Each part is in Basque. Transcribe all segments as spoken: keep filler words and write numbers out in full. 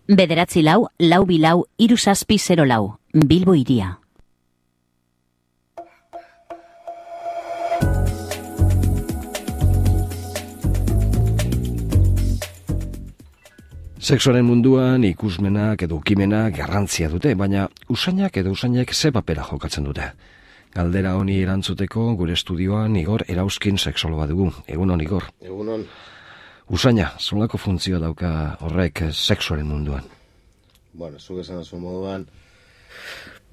Bederatzi lau, lau bilau, hiru zazpi zero lau, Bilbo hiria. Sexuaren munduan ikusmenak edo ukimenak garrantzia dute, baina usainak edo usainek ze papera jokatzen dute. Galdera honi erantzuteko gure estudioan Igor Erauzkin sexologa dugu. Egunon, Igor. Egunon. Usaina, zonlako funtzioa dauka horrek sexuaren munduan? Bueno, zuk esan dazu moduan,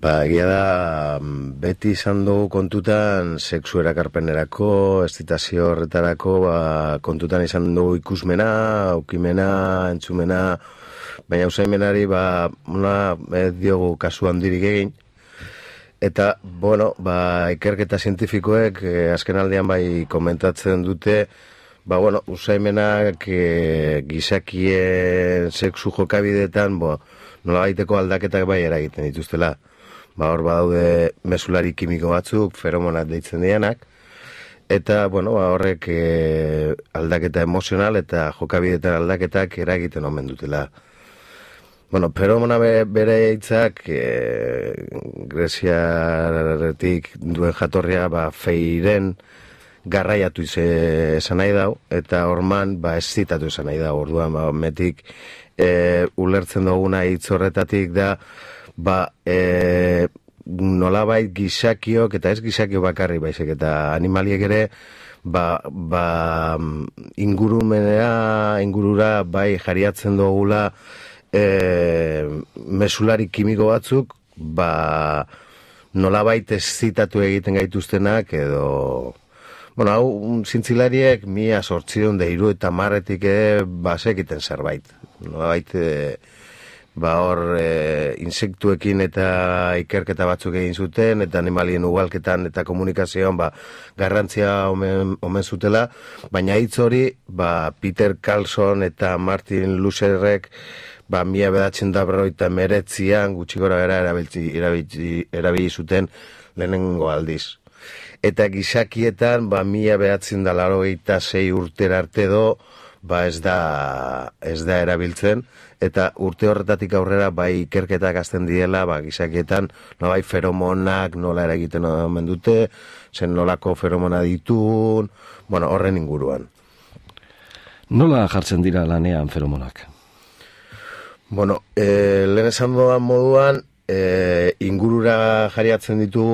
ba, egia da, beti izan dugu kontutan sexu erakarpenerako, estitazio horretarako, ba, kontutan izan dugu ikusmena, aukimena, entzumena, baina usaimenari, ba, una, ez diogu kasu handirik egin. Eta, bueno, ba, ikerketa zientifikoek eh, azken aldean bai komentatzen dute, ba, bueno, usaimenak eh, gizakien sexu jokabideetan, bo, nola baiteko aldaketak bai eragiten dituztela. Ba, hor badaude mesulari kimiko batzuk, feromonat deitzen dianak, eta, bueno, ba, horrek eh, aldaketa emozional eta jokabideetan aldaketak eragiten omen dutela. Bueno, feromona bere hitzak e, Greziaretik duen jatorria ba, feiren garraiatu esan nahi dau, eta orman ba, ezitatu esan nahi dau. Orduan, ba, metik e, ulertzen duguna hitz horretatik da, ba, e, nolabait gizakiok, eta ez gizakio bakarri baizik, eta animaliek ere, ba, ba, ingurumenera, ingurura bai jariatzen dugula, E, mesulari kimiko batzuk ba, nolabait ezitatu egiten gaituztenak edo bueno, hau zintzilariek mila sortzion da hiru eta marretik basekiten zerbait nolabait e, ba hor e, insektuekin eta ikerketa batzuk egin zuten eta animalien ugalketan eta komunikazioan ba, garrantzia omen, omen zutela, baina hitz hori ba, Peter Carlson eta Martin Lutherek ba, mila bedatzen da berroita meretzian gutxi gora gara erabili, erabili zuten lehenengo aldiz. Eta gizakietan, ba, mila bedatzen da laurogeita sei urtera arte do, ba, ez da, ez da erabiltzen, eta urte horretatik aurrera, bai, ikerketak azten diela, ba, gizakietan, no, bai, feromonak nola eragiten omen dute, zen nolako feromona ditun, bueno, horren inguruan. Nola jartzen dira lanean feromonak? Bueno, e, lehen esan doan moduan, e, ingurura jariatzen ditu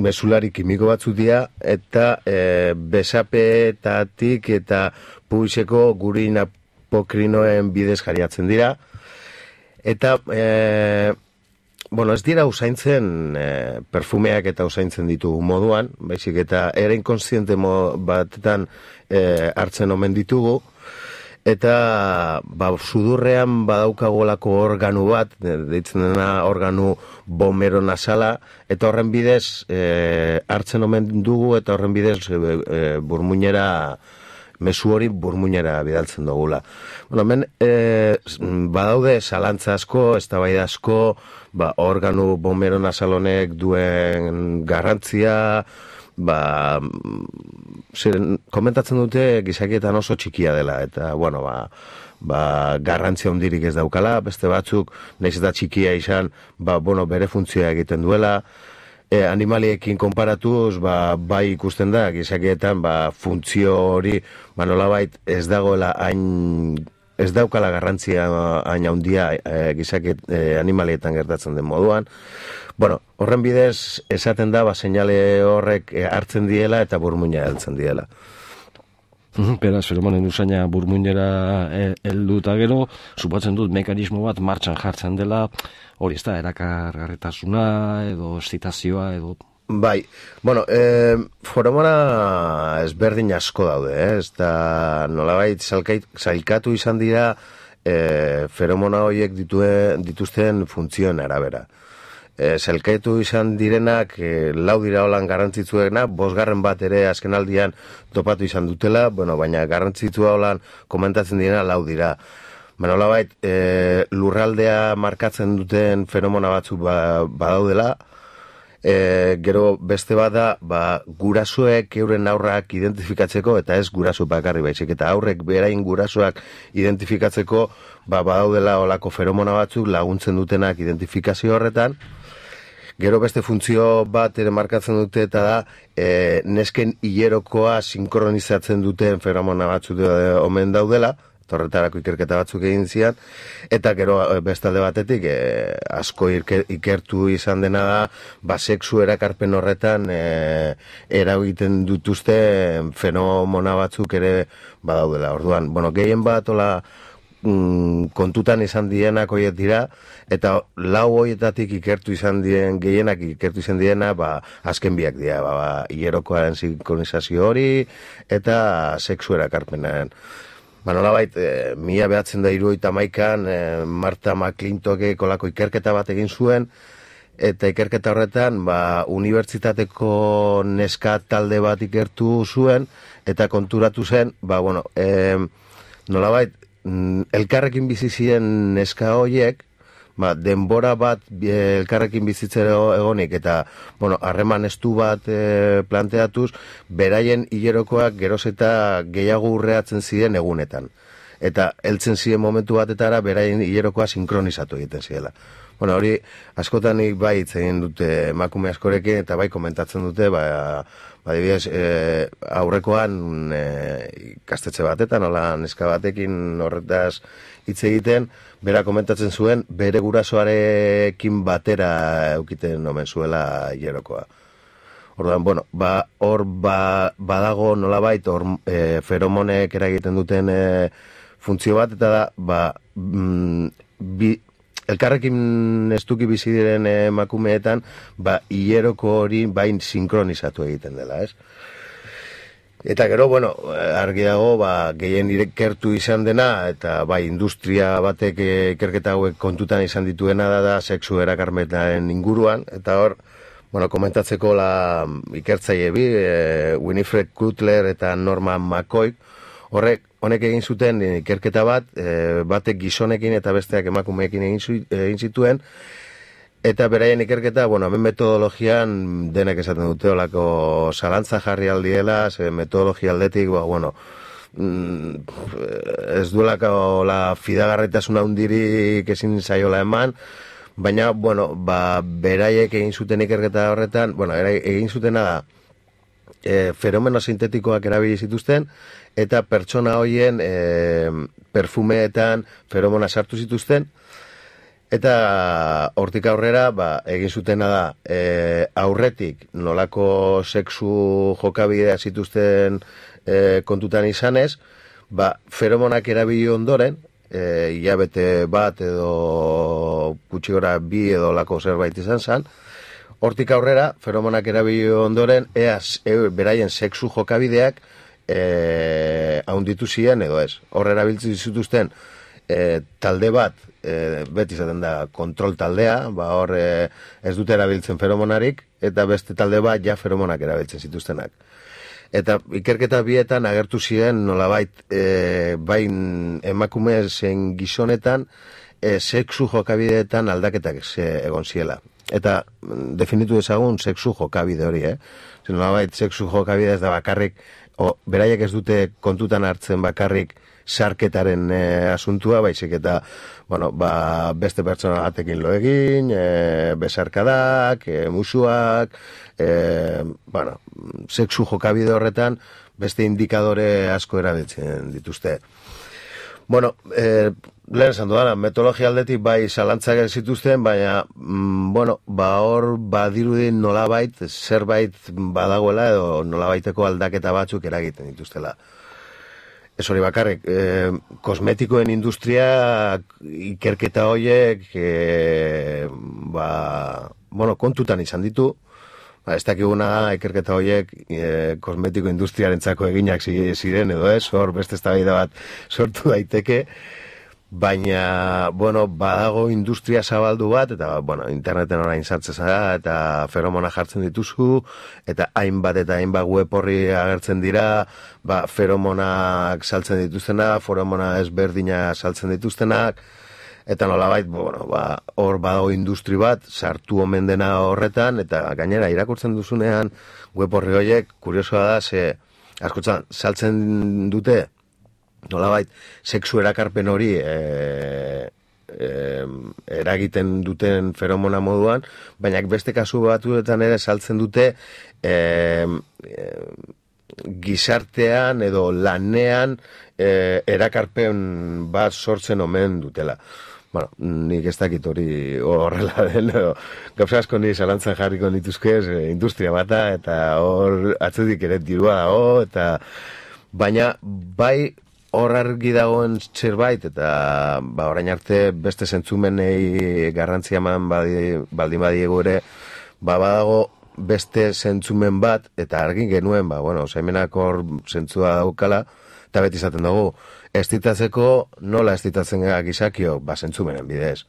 mesulari kimiko batzuk dira, eta e, besapetatik eta pubiseko gurin apokrinoen bidez jariatzen dira. Eta, e, bueno, ez dira usaintzen e, perfumeak eta usaintzen ditu moduan, baizik eta ere inkonstiente batetan e, hartzen omen ditugu, eta ba, sudurrean badaukagolako organu bat, deitzen dena organu bomero nasala, eta horren bidez e, hartzen omen dugu, eta horren bidez e, e, burmuinera, mezu hori burmuinera bidaltzen dugula. Bueno, hemen e, badaude zalantza asko, eztabaida asko, ba, organu bomero nasalonek duen garrantzia, ba, ziren, komentatzen dute gizakietan oso txikia dela, eta, bueno, ba, ba, garrantzia hondirik ez daukala, beste batzuk, nahiz eta txikia izan, ba, bueno, bere funtzioa egiten duela, e, animaliekin konparatuz, ba, bai ikusten da, gizakietan, ba, funtzio hori, ba, nolabait ez dagoela hain, ez daukala garrantzia hain handia e, gizakiet e, animalietan gertatzen den moduan. Bueno, horren bidez esaten da, ba, seinale horrek hartzen diela eta burmuina heltzen diela. Beraz, feromonen usaina burmuinera heldu eta gero, supatzen dut mekanismo bat martxan jartzen dela, hori ez da, erakargarretasuna edo estitazioa edo... Bai, bueno, e, feromona ezberdin asko daude, eh? Ez da nolabait zailkatu izan dira e, feromona horiek dituen, dituzten funtzioen arabera. E, zelkaitu izan direnak, e, lau dira holan garrantzitsuena, bosgarren bat ere azken aldian topatu izan dutela, bueno, baina garrantzitsua holan komentatzen direna lau dira. Baina holabait, e, lurraldea markatzen duten fenomena batzuk ba, badaudela, E, gero beste bada, ba, gurasoek euren aurrak identifikatzeko, eta ez guraso bakarri baizik, eta aurrek berain gurasoak identifikatzeko, ba, badaudela olako feromona batzuk laguntzen dutenak identifikazio horretan. Gero beste funtzio bat ere markatzen dute, eta da, e, nesken hilerokoa sinkronizatzen duten feromona batzuk omen daudela, horretarako ikerketa batzuk egin zian, eta gero bestalde batetik e, asko ikertu izan dena da, ba, sexu erakarpen horretan e, eragiten dituzte fenomena batzuk ere badaudela. Orduan, bueno, gehien bat ola mm, kontutan izan dienak hoiet dira, eta lau hoietatik ikertu izan dien, gehienak ikertu izan diena, ba, azken biak dira, ba, ba, hilerokoaren sinkronizazio hori, eta sexu erakarpenaren. Ba, nolabait, e, mila behatzen da hirurogeita hamaikan e, Marta McClintockek kolako ikerketa bat egin zuen, eta ikerketa horretan, ba, unibertsitateko neska talde bat ikertu zuen, eta konturatu zen, ba, bueno, e, nolabait, elkarrekin bizi ziren neska horiek, ba, denbora bat elkarrekin bizitzera egonik, eta, bueno, harreman estu bat e, planteatuz, beraien hilerokoak geroz eta gehiago urreatzen ziren egunetan. Eta heltzen ziren momentu batetara, beraien hilerokoa sinkronizatu egiten zirela. Bueno, hori, askotan nik bai hitz egin dute emakume askorekin, eta bai komentatzen dute, ba, ba dibidez, e, aurrekoan e, ikastetxe batetan, hola neska batekin horretaz hitz egiten, bera komentatzen zuen, bere gurasoarekin batera eukiten omen zuela hilerokoa. Orduan, bueno, ba, hor ba, badago nolabait, hor e, feromonek eragiten duten e, funtzio bat, eta da, ba, mm, bi, elkarrekin estuki bizi diren emakumeetan, ba, hileroko hori bain sinkronizatu egiten dela, ez? Eta gero, bueno, argi dago, ba, gehien ikertu izan dena, eta bai, industria batek ikerketa hauek kontutan izan dituena da, da sexu erakarpenaren inguruan, eta hor, bueno, komentatzeko la ikertzaile bi, e, Winifred Cutler eta Norman McCoy, horrek, honek egin zuten ikerketa bat, e, batek gizonekin eta besteak emakumeekin egin, zu, egin zituen, eta beraien ikerketa, bueno, hemen metodologian denek esaten dute olako zalantza jarri aldiela, ze metodologia aldetik, ba, bueno, mm, ez duelako la fidagarritasuna hundirik ezin zaiola eman, baina, bueno, ba, beraiek egin zuten ikerketa horretan, bueno, egin zutena da, e, fenomeno sintetikoak erabili zituzten, eta pertsona hoien e, perfumeetan feromona sartu zituzten, eta hortik aurrera, ba, egin zutena da, e, aurretik nolako sexu jokabidea zituzten e, kontutan izanez, ba, feromonak erabili ondoren, e, hilabete bat edo gutxi gora bi edo lako zerbait izan zen, hortik aurrera, feromonak erabili ondoren, eaz, e, beraien sexu jokabideak e, haunditu ziren edo ez. Hor erabiltzen zituzten e, talde bat, e, beti izaten da kontrol taldea, ba hor e, ez dute erabiltzen feromonarik, eta beste talde bat ja feromonak erabiltzen zituztenak. Eta ikerketa bietan agertu ziren nolabait e, bain emakume zen gizonetan e, sexu jokabideetan aldaketak egon ziela. Eta definitu ezagun sexu jokabide hori, eh? Zer nolabait sexu jokabide ez da bakarrik, o, beraiek ez dute kontutan hartzen bakarrik sarketaren e, asuntua, baizik eta, bueno, ba, beste pertsona batekin lo egin, e, besarkadak, e, musuak, e, bueno, sexu jokabide horretan beste indikadore asko erabiltzen dituzte. Bueno, e, lehen esan dudana, metodologia aldetik bai zalantzak zituzten, baina, mm, bueno, ba hor badirudin nolabait, zerbait badagoela edo nolabaiteko aldaketa batzuk eragiten dituztela. Ez hori bakarrik, e, kosmetikoen industria ikerketa horiek, e, ba, bueno, kontutan izan ditu, ba, ez dakiguna ikerketa horiek e, kosmetiko industriarentzako eginak ziren edo ez, hor beste eztabaida bat sortu daiteke, baina, bueno, badago industria zabaldu bat, eta, bueno, interneten orain sartzen zara, eta feromona jartzen dituzu, eta hainbat eta hainbat web horri agertzen dira, ba, feromonak saltzen dituztenak, feromona ezberdina saltzen dituztenak, eta nolabait, bueno, ba, hor badago industri bat, sartu omen dena horretan, eta gainera, irakurtzen duzunean, web horri horiek, kuriosoa da, ze, askotan, saltzen dute, nolabait, sexu erakarpen hori, e, e, eragiten duten feromona moduan, baina beste kasu batuetan ere saltzen dute, e, e, gizartean edo lanean e, erakarpen bat sortzen omen dutela. Bueno, nik ez dakit hori horrela den, edo, gauza asko ni zalantzan jarriko nituzkez, e, industria bata, eta hor atzetik ere dirua dago, eta baina bai hor argi dagoen zerbait, eta ba, orain arte beste zentzumenei garrantzia eman badi, baldin badiegu ere, ba badago beste zentzumen bat, eta argin genuen, ba, bueno, usaimenak hor zentzua daukala, eta beti izaten dugu, estitatzeko nola estitatzen gara gizakio, ba, zentzumenen bidez.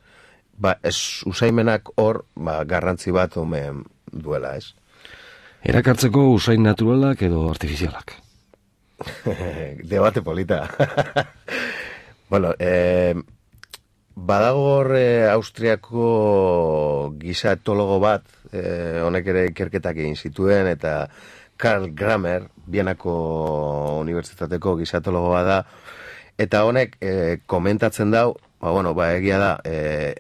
Ba, ez usaimenak hor, ba, garrantzi bat omen duela, ez? Erakartzeko usain naturalak edo artifizialak? Debate polita. Bueno, eh, badago hor eh, Austriako giza etologo bat, eh, honek ere ikerketak egin zituen, eta Karl Grammer, Bienako Unibertsitateko giza etologoa da, eta honek eh, komentatzen dau, ba, bueno, ba, egia da, eh,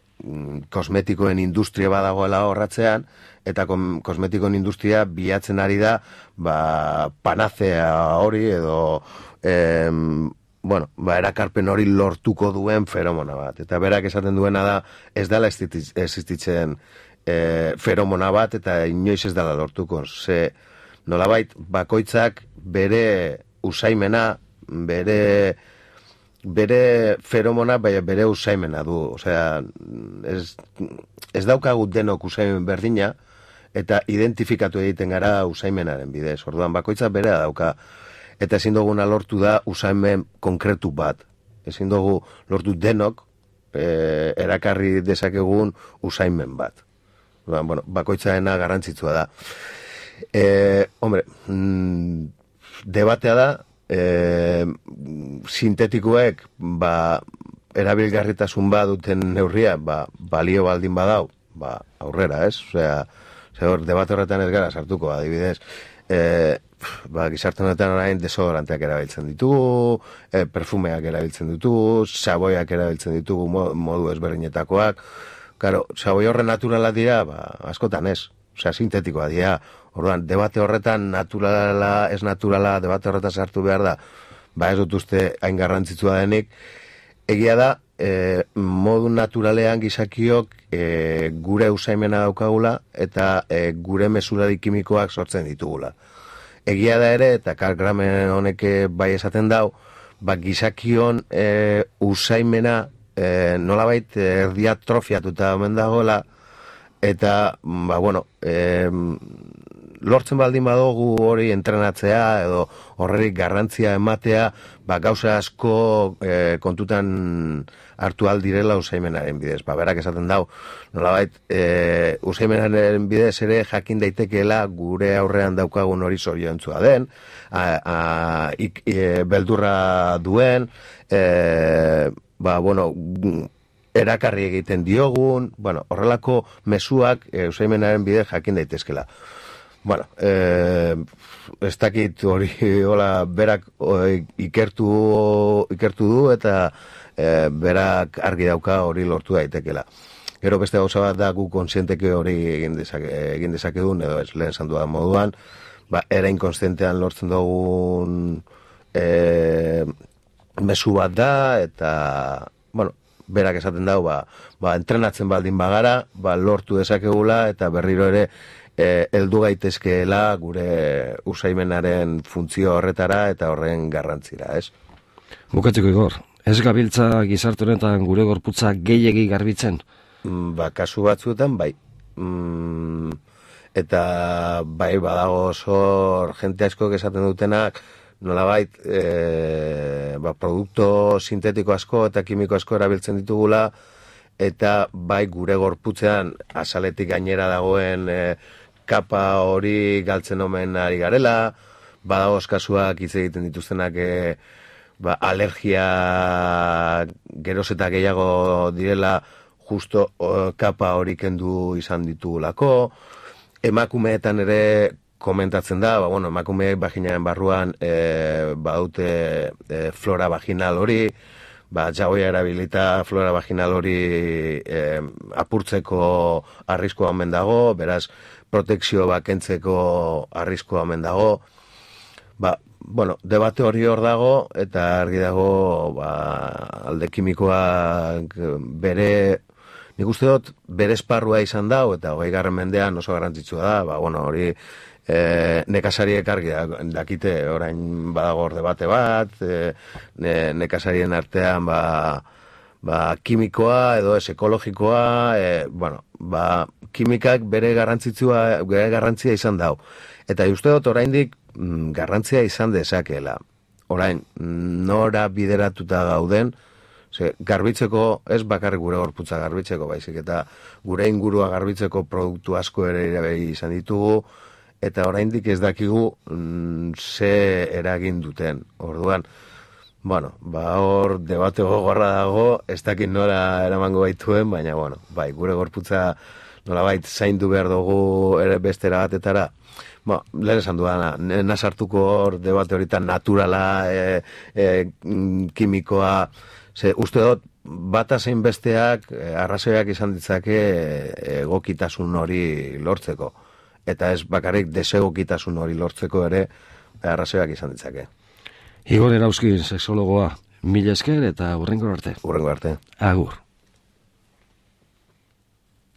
kosmetikoen industria badagoela horratzean, eta kom, kosmetikoen industria bilatzen ari da, ba, panazea hori, edo, em, bueno, ba, erakarpen hori lortuko duen feromona bat. Eta berak esaten duena da, ez dela existitzen e, feromona bat, eta inoiz ez dela lortuko. Ze, nolabait, bakoitzak bere usaimena, bere bere feromona, bai, bere usaimena du. Osea, ez, ez daukagut denok usaimen berdina, eta identifikatu egiten gara usaimenaren bidez. Orduan, bakoitzak berea dauka, eta ezin duguna lortu da usaimen konkretu bat. Ezin dugu lortu denok e, erakarri dezakegun usaimen bat. Orduan, bueno, bakoitzaena garrantzitsua da. E, hombre, mm, debatea da, e, sintetikoek ba, erabilgarritasun bat duten neurria, ba, balio baldin badau, ba, aurrera, ez? Osea, hor, debate horretan ez gara sartuko, adibidez, e, ba, gizarte honetan orain desodoranteak erabiltzen ditugu, e, perfumeak erabiltzen ditugu, saboiak erabiltzen ditugu modu ezberdinetakoak. Claro, saboi horren naturala dira, ba, askotan ez, osea, sintetikoa dira. Orduan, debate horretan naturala, ez naturala, debate horretan sartu behar da, ba ez dut uste hain garrantzitsua denik. Egia da, e, modu naturalean gizakiok e, gure usaimena daukagula eta e, gure mesurari kimikoak sortzen ditugula. Egia da ere, eta Karl Grammer honek bai esaten dau, ba gizakion e, usaimena e, nolabait erdiatrofiatuta omen dagoela, eta, ba, bueno, e, lortzen baldin badugu hori entrenatzea edo horrerik garrantzia ematea, ba, gauza asko e, kontutan hartu aldirela usaimenaren bidez. Ba, berak esaten dau, nolabait, e, usaimenaren bidez ere jakin daitekeela gure aurrean daukagun hori zoriontzua den, a, a, ik, e, beldurra duen, e, ba, bueno, erakarri egiten diogun, bueno, horrelako mezuak e, usaimenaren bidez jakin daitezkela. Bueno, eh, ez dakit hori hola berak o, ikertu, ikertu du eta eh, berak argi dauka hori lortu daitekela. Gero beste gauza bat da gu konsienteke hori egin, dezake, egin dezakedun, edo ez lehen zanduan moduan, ba, era inkonstientean lortzen dugun eh, mezu bat da, eta, bueno, berak esaten dau, ba, ba, entrenatzen baldin bagara, ba, lortu dezakegula, eta berriro ere, E, heldu gaitezkeela gure usaimenaren funtzio horretara eta horren garrantzira, ez? Bukatzeko Igor, ez gabiltza gizarte honetan gure gorputza gehiegi garbitzen? Mm, ba, kasu batzuetan, bai. Mm, eta bai badago zor jente asko esaten dutenak, nolabait, e, ba, produkto sintetiko asko eta kimiko asko erabiltzen ditugula, eta bai gure gorputzean azaletik gainera dagoen e, kapa hori galtzen omen ari garela, badagoz kasuak hitz egiten dituztenak e, ba, alergia geroz eta gehiago direla justo o, kapa hori kendu izan ditugulako. Emakumeetan ere komentatzen da, ba, bueno, emakumeek vaginaren barruan e, badute e, flora vaginal hori, ba, jagoia erabilita flora vaginal hori e, apurtzeko arriskoa omen dago, beraz, protekzio bakentzeko arriskoa omen dago. Ba, bueno, debate hori hor dago, eta argi dago, ba, alde kimikoak bere, nik uste dut, bere esparrua izan dago, eta hogei garren mendean oso garrantzitsua da, ba, bueno, hori e, nekazariek argi dakite, orain badago hor debate bat, e, ne, nekazarien artean, ba, ba, kimikoa edo ez ekologikoa, e, bueno, ba, kimikak bere garrantzitsua, bere garrantzia izan dago. Eta uste dut oraindik garrantzia izan dezakeela. Orain, nora bideratuta gauden, ze, garbitzeko, ez bakarrik gure gorputza garbitzeko, baizik, eta gure ingurua garbitzeko produktu asko ere erabili izan ditugu, eta oraindik ez dakigu mm, ze eragin duten. Orduan, bueno, ba hor debate gogorra dago, ez dakit nora eramango baituen, baina, bueno, bai, gure gorputza nolabait zaindu behar dugu ere bestera batetara. Ba, lehen esan duana, nasartuko hor debate horitan naturala, e, e, kimikoa, ze uste dut, bata zein besteak e, arrazoiak izan ditzake egokitasun hori lortzeko. Eta ez bakarrik desegokitasun hori lortzeko ere arrazoiak izan ditzake. Igor Erauzkin, sexologoa, mila esker eta hurrengo arte. Hurrengo arte. Agur.